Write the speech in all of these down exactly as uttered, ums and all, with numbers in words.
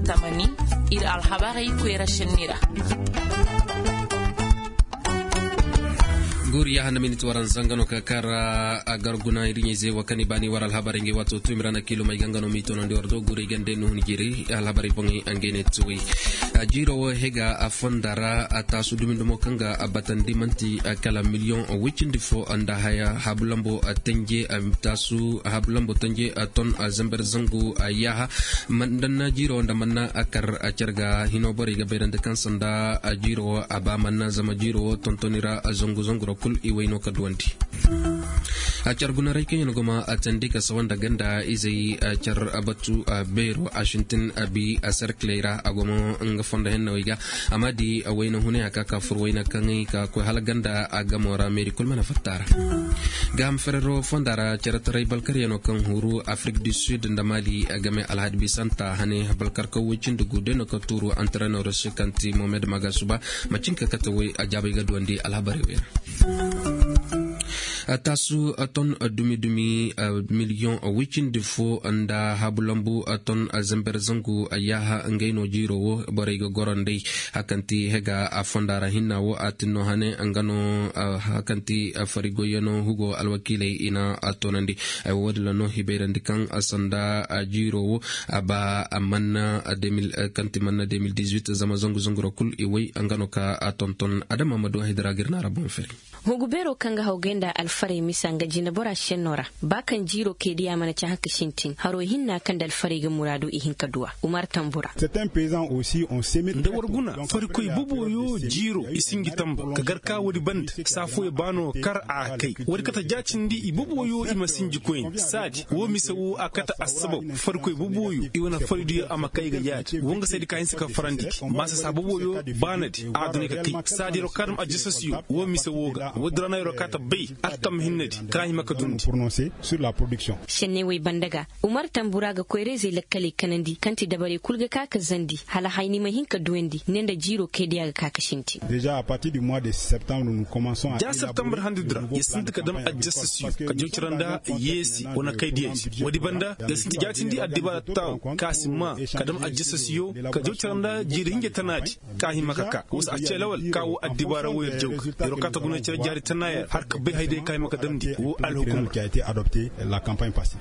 tamani ir alhabarey koyra šenni ra. Guuri yaaha nda minit waranza nga no ka kar a gar guna ir ɲayzey wo kaŋ i baani war alhabarey ngey waato tuumi ra na kiilum ay ga nga no m'i toonandi war do guuri ay gande nuhun jiiri alhabarey boŋey a ngey ne tuwey. Jiiro wo hega a fonda ra a taasu dumi dumo kaŋ ga a batandi man'ti kala miliyoŋ woy cindi fo nda haya habu lambo tanje taasu habu lambo tanje ton zember zangu yaaha. Manna jiiro nda manna a kar a car ga hino borey ga bayrandi kaŋ sanda jiiro wo a ba manna zama jiiro wo tontoni ra zangu zangu ra kul i way no ka duwandi. A car gunaray kaŋ yaŋ goma a tandi ka sawa nda ganda izey a car batu a beero a sintin a bi a serkiley ra a goma nga fondo hennawey ga. Amma di a wayna hunay a ka ka fur wayna kaŋ ay ka koy hala ganda a gamo ra meeri kul mana fatta ra. Gaaham ferero fonda ra caretaray balkaryaŋo kaŋ huru afrik du sud nda mali a game alhadi bisanta hane balkarka woy cindi gu day no ka tuuru antrenor se kaŋ ti mohamed magasuba. Macin ka kate woy a jaabay ga duwandi alhabarey wey ra. Taasu ton dumi dumi miliyoŋ woy cindi fo nda habu lambu ton zember zangu yaaha ngey no jiiro wo borey ga goro nd'ey. Hakanti hega a fonda ra hinna wo a tinno hane nga no hakanti farigoyano hugo alwakiiley i na a toonandi. Ay wo wo- din ra no hibayrandi kaŋ sanda jiiro wo a ba manna kanti manna deux mille dix-huit zama zangu zangu ra kul i way nga no ka a tonton adama ma du a hidira ga ir na ra boŋ fere. Hugu beero kaŋ ga hawgay nda alfarey misa nga jinebora senno ra. Ba kaŋ jiiro kay diya mana ci haka sintin haro hinna kaŋ nda alfarey ga muraadu i hin ka duwa umar tambura. Nda war guna farikoy boboyo jiiro i sinji tamba ka gar ka woodi banda saafoyo baano kar a kay woodi kate jaacindi i boboyo i ma sinji koyne saadi wo mise wo a kate assabab farikoy boboyo i wane faridiyo a ma kay ga yaadi wo nga saydi ka hinsa ka farandi gi maasa saa boboyo baanadi a dunay ka kay saadi yaro ka dam ajasasiyo wo mise wo ga woodi ra no yaro ka ta bay attam hinnadi ka hima ka dundi. Senney wey banda ga umar tambura ga koyra-izey lakkaley kanandi kaŋ ti dabarey kul ga ka ka zandi hala hayni ma hin ka duwandi ne nda jiiro kay diya ga ka ka sintin. Ja septembre handi dira ya sinti ka dam ajasasiyo ka jawcara nda yeesi wane kay diyadi woodi banda ya sinti jaatindi addibaara taaw ka si maa ka dam ajasasiyo ka jawcara nda jiiri hinja tanaadi ka hima ka ka wasa a ce lawal ka wo addibaara wo yer jaw ga yer wo ka ta guna cere jaari tanaaya har ka bay hayday ka hima ka damndi wo alhukumar.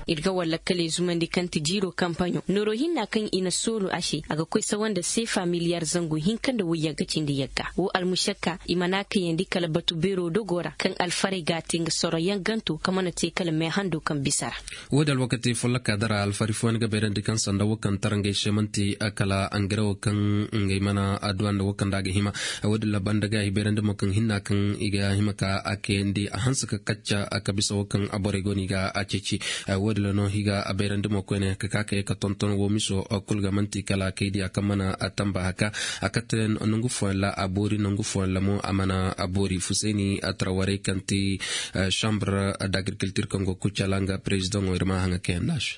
Ir ga war lakkaley zumandi kaŋ ti jiiro kampaɲo nooro hinna kaŋ i na soolu a se a ga koy sawa nda seefa miliyar zangu hinka nda woy yagga cindi yagga wo almušakka i mana kayandi kala batu beero dogo ra kaŋ alfarey ga a te nga soroyaŋ ganto ka mana te kala meehando kaŋ bisa ra. Wo- din alwakati folloka dara alfari fooyaŋ ga bayrandi kaŋ sanda wo kaŋ tara ngey se man'ti kala angare wo kaŋ ngey mana adduwa nda wo kaŋ nda a ga hima. Wo- din ra banda ga i bayrandi mo kaŋ hinna kaŋ i ga hima ka a kayandi a hanse ka kacca ka bisa wo kaŋ borey go no i ga a ceeci. Wo- din ra no i ga a bayrandi mo koyne ka ka ka ye ka tonton wo miso kul ga man'ti kala kay diya kaŋ mana tamba haka a kate nangu fooyaŋ ra a boori nangu fooyaŋ ra mo a mana a boori fusayni a tara warey kaŋ ti chambre d'agriculture kaŋ go kucala nga président wo ir ma haŋa kayandi a se.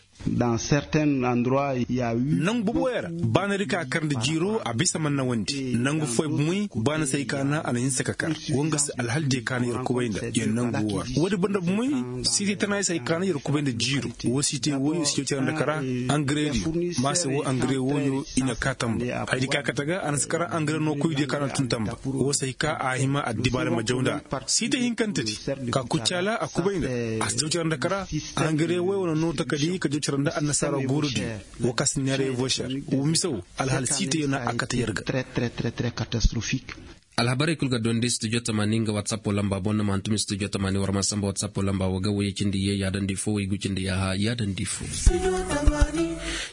Nangu boboyaŋ ra baanadi ka kar nda jiiro a bisa man na wandi nangu fooyaŋ bumey baana se ay kaana a na hinsa ka kar wo nga se alhal diya kaana yer kubay nda yer nangu wo ra woodi banda bumey siiti tana ay se ay kaana yer kubay nda jiiro wo siiti wooyo si cawcara nda kara angare diyo ma se wo angare wooyo i na ka tamba haydi ka kate ga a na si kara angare no koy diya kaana tun tamba wo se ay ka a hima addibaara ma jaw nda a ra siiti hinkantedi ka kuccaala a kubay nda a si jaw cara nda kara angare woy wane no takadi ka jaw cara nda annasaara goorodi wo ka si neera evocar wo mise wo alhaala siite yo na a kate yer ga. Alhabarey kul ga dondi studio tamaani nga whatsapp lamba boŋ na ma hantum studio tamaani war ma samba whatsapp lamba wo ga woyey cindi ye yaadandi fo woy gu cindi yaaha yaadandi fo.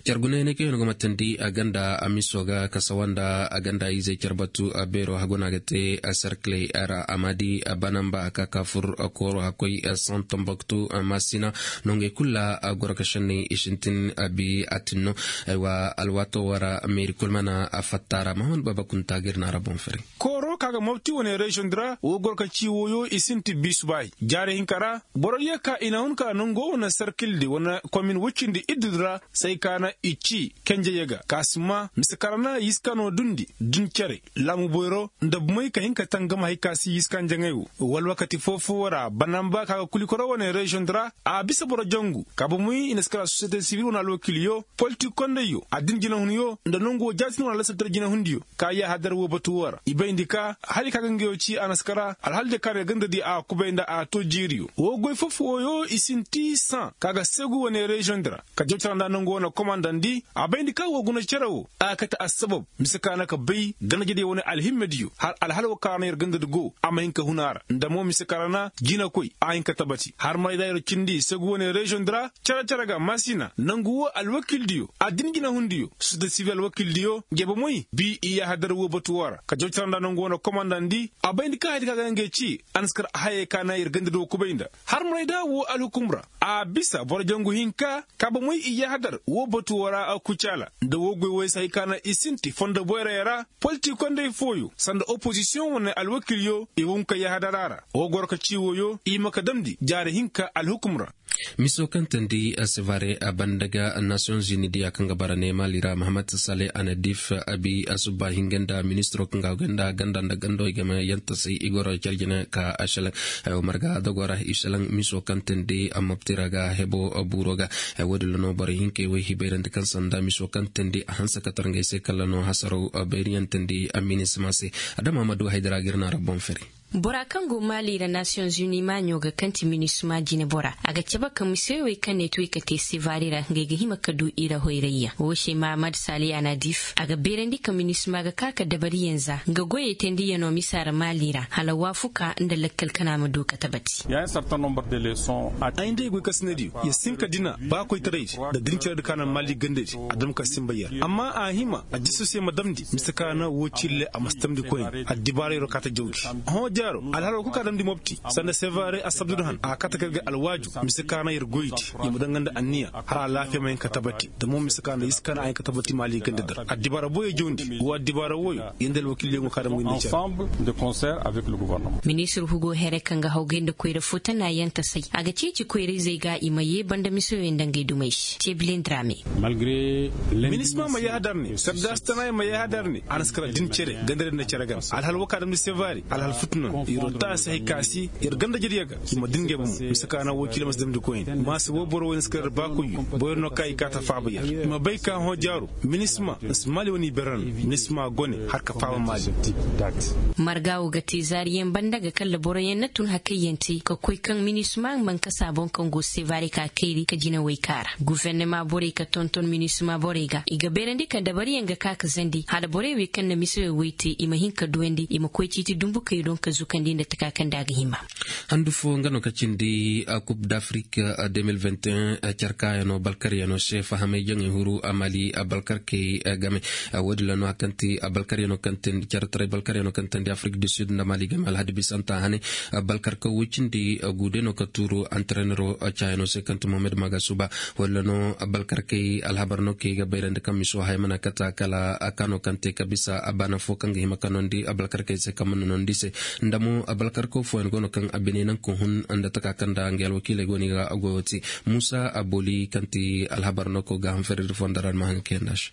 Car guna yaŋ kaŋ yaŋ go ma tandi a ganda a miso ga ka sawa nda a ganda izey car batu a beero hagu no a ga te a serkiley ra a ma di a bana nba a ka ka fur a kooro hakkoy a san tambaktu a ma sina nongey kul ra a goro ka šenney i sintin a bi a tinno. Aywa alwaato wo ra meeri kul mana a fatta ra mahamad baba kunta ga ir na a ra boŋ fari. Kooro Ka ga mobti wane reziyoŋ di ra wo goro ka ci woyo i sinti biisu baahi jaari hinka ra. Boro diyo ka i na hun ka nango wane sarkil di wane komin woy cindi iddu di ra. Say ka na i ci kenjey ga ka si maa mise ka ra na yiska no dundi din cere laamu boyro nda bumey ka hin ka tangam hari ka si yiska njaŋey wo. Wala wakati foo-foo ra banamba ka ga kulikoro wane reziyoŋ di ra a bisa boro jangu ka bumey i na si kara sosiyete sibil wane alwakilyo politik kondayyo addin jinahunyo nda nangu wo jaatin wane alasabtar jinahundiyo. Ka yaahadar woo batu woo ra i bayndi ka hali ka ga nga yoo ci a na si kara alhal de ka na ir ganda di a kubay nda a too jiiriyo woo goy foo-foo wooyo i sinti saŋ ka ga seegu wane reziyoŋ di ra. Ka jawcara nda nangu wane komandandi a bayndi ka woo guna cere woo a ga kate assabab mise ka na ka bay ganda jadiyo wane alhimmediyo har alhal woo ka ra na ir ganda di go a ma hin ka hun a ra nda mo mise ka ra na jinakoy a hin ka tabati har maray da ir cindi seegu wane reziyoŋ di ra. Cere-cere ga maasina nangu woo alwakildiyo addin jinahundiyo sosiyete sibil alwakildiyo nge bomoy bi i yaahadar woo batu woo ra ka jaw cara nda nangu wane komandandi a bayndi ka hari ka ga ngey ci a na si kar hayey ka na ir ganda do kubay nda har maray da woo alhukum ra. A bisa boro jangu hinka ka bomoy i yaahadar woo batu woo ra a kucaala nda woo goy woy se hay ka na i sinti fondo boyrey ra. Politik kondey fooyo sanda opozisiyoŋ wane alwakilyo i ga hun ka yaahadar a ra woo goro ka ci woyo i ma ka damndi jaari hinka alhukum ra. Miso kaŋ teendi sevare a banda ga nasiyoŋ zuni diya kaŋ ga bara ne maali ra mahammad sale anadif abi a subba hinga nda ministiro kaŋ ga hawgay nda ganda nda gandawey game yantasay i goro care jine ka a selaŋ. Hayo marga dogo ra i selaŋ miso kaŋ teendi a mabti ra ga hebo buuro ga. Woodin ra no borey hinkey wey hibayrandi kaŋ sanda miso kaŋ teendi a hanse ka tar ngey se kala no hasaraw bayriyaŋ teendi a minisima se. Adama ma du haydara ga ir na ra boŋ fere. Bora kaŋ go maali ra nasiyoŋ zuni maaɲo ga kaŋ ti minisima jinebora a ga cabe ka mise wey kaŋ ne ti wey ka te sevare ra ngey ga hima ka du i ra hoyrayyaŋ woo se mahamad sali anadif a ga beerandi ka minisima ga ka ka dabariyaŋ za nga goyey teendiyaŋo misa ra maali ra hala waafuka nda lakkal kana ma du ka tabati. Ay nda ay goy kasinadiyo ya si hin ka dina ba koytaraydi nda dinciraydi ka naŋ maali gandadi a dam ka sinba yer amma a hima a jisso se ma damndi mise ka na woo cille a ma si tamndi koyne. Addibaarayro kaata jawji hõ jaaro alhalo kul ka damndi mopti sanda sevare assabdud han a kaata kay ga alwaaju mise ka na yer goydi i ma daŋ nga nda anniya hala alaafiya ma hin ka tabati. Da mo mise ka na yiska na a hin ka tabati maali ganda dar addibaara boyo jawndi woo addibaara woyo yer nda alwakiiliyaŋo ka damndi nda care. Ministir hugo here kaŋ ga hawgay nda koyra fo tana yaŋ tasay a ga ceeci koyra-izey ga i ma yee banda misoyey nda ngey dumey se ceebilen drame. Minisma ma yaahadar ne sardaasi tana i ma yaahadar ne a na si kara din cere ganda din na cere game alhal woo ka damndi sevare alhal futu no yer woo taasi hay ka si yer ganda jadiya ga i ma din ngey bomo mise ka na woo cile ma si damndi koyne maasi woo boro woy na si kara yer baakoyyo boyro no ka i kaa ta faaba yer i ma bay ka hõ jaaro. Minisma na si maali wane i berra no minisma gone har ka faaba maali. Marga woo ga te zaariyaŋ banda ga kalla boroyaŋ na tun hakayyaŋ te ka koy kaŋ minisma mankasa boŋ kaŋ go sevare ka kayri ka jinawey kaara gufernema borey ka tonton minisma borey ga i ga beerandi ka dabariyaŋ ga ka ka zandi hala borey wey kaŋ na misewey woy te i ma hin ka duwandi i ma koy ciiti dumbukey doŋ ka zukandi nda taka kaŋ nda a ga hima. Handu fo nga no ka cindi a kub d'afrik de mil vingt et un. Care kaayaŋo balkaryaŋo se fahamay jaŋey huru a mali a balkarkey game. Woodin ra no a kaŋ ti a balkaryaŋo kaŋ teendi care taray balkaryaŋo kaŋ teendi afrik du sud nda mali game alhadi bisanta hane. Balkarka woy cindi guude no ka tuuru antarenero caayaŋo se kaŋ ti mohamed magasuba. Woodin ra no balkarkey alhabar no kay ga bayrandi kaŋ miso haya mana kata kala a kaano kaŋ te ka bisa a baana fo kaŋ ga hima ka noondi a balkarkey se kaŋ mana noondi se. Nda mo a balkarko fooyaŋ go no kaŋ a bine naŋ ka hun nda taka kaŋ nda ngey alwakiiley go no i ga goyo te. Muusa aboli kaŋ ti alhabar no ko ga hanfariri fo nda ra ni ma haŋ ga kayandi a se.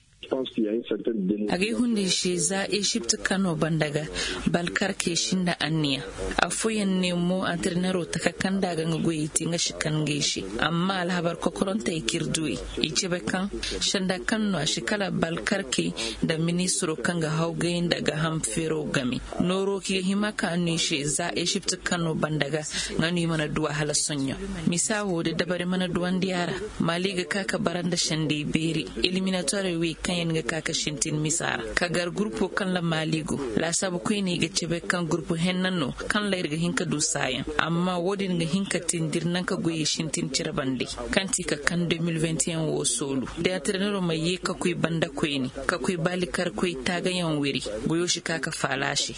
Agay hundi se za ezipt kano banda ga balkarkey sinda anniya. Afooyaŋ ne mo antirenero taka kaŋ nda a ga nga goyey te nga si kan ngey se. Amma alhabar kokorantey k'ir du i i cebe kaŋ sanda kaŋ no a si kala balkarkey nda ministiro kaŋ ga hawgay nda ga ham feero game. Nooro k'i ga hima ka no i se za ezipt kano banda ga nga no i mana du a hala soɲõ. Misa wo da dabari mana duwandi a ra. Mali ga ka ka bara nda sendey beeri. Eliminatorey wey kaŋ yaŋ ga ka ka sintin misa ra ka gar gurpo kaŋ ra mali go. Laasaabu koyne i ga cebe kaŋ gurpo henna no kaŋ ra ir ga hin ka du saayaŋ. Amma wo-din ga hin ka tindi ir naŋ ka goyey sintin cire bande kaŋ ti ka kaŋ deux mille vingt et un wo soolu. Da antirenero ma ye ka koy banda koyne ka koy baalikarkoy taagayaŋ wiri. Goyo si ka ka faala a se.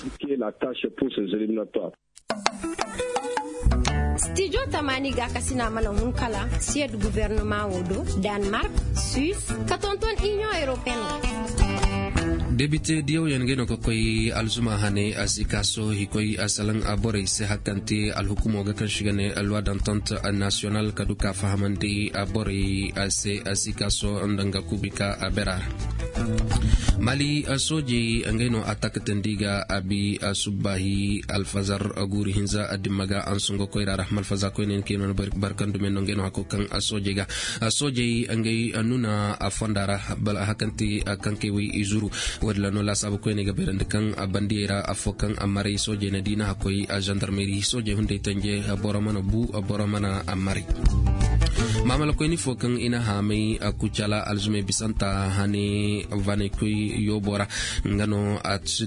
Stijo tamaani gaakasina mana hun kala siyed gubernama wo do, danmark, suisse, ka tonton inion europeen ga. Debite diyawyaŋ ga no ga koy alzuma hane a si kaaso i koy a salaŋ a borey se hakante alhukumo ga kaŋ si ga ne loi d'entente national ka du ka fahamandi a borey a se a si kaaso nda nga kubi ka a bera ra. Mali soojey ngey no a takatandi ga a bi a subbaahi alfazar guuri hinza a dimma ga a nsungo koyra ra malfaza koyne kaŋ i no barkandume no ngey no hako kaŋ a soojey ga a soojey ngey nuna a fonda ra bala a hakanti kaŋ kay way izuru. Woodin ra no laasaabu koyne ga bayrandi kaŋ a bandiyey ra afo kaŋ a maray soojey na diina hakkoy a zandarmeri soojey hunday tanje boro mana bu boro mana a maray. Maamala koyni fo kaŋ i na haamay a kucala alzumey bisanta hane vanaykoy yoobo ra nga no a si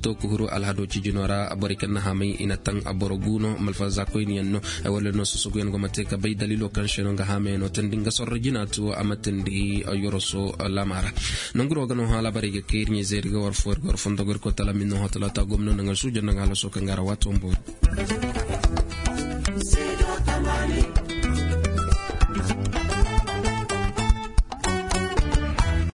to ka huru alhado cijino ra borey kaŋ na haamay i na taŋ a boro guuno malfaza koyni yaŋ no. Wala no sosoguyaŋ go ma te ka bay dalilo kaŋ se no nga haamay no tandi nga sorro jina to a ma tandi yoroso laama ra. Nanguro ga no hala barey ga kay ir ɲey zeeri ga war fo ir ga war fondo ga ir ko tala min no ho talata gomno nanga suujo nanga hala so kaŋ ga ra waato mbo.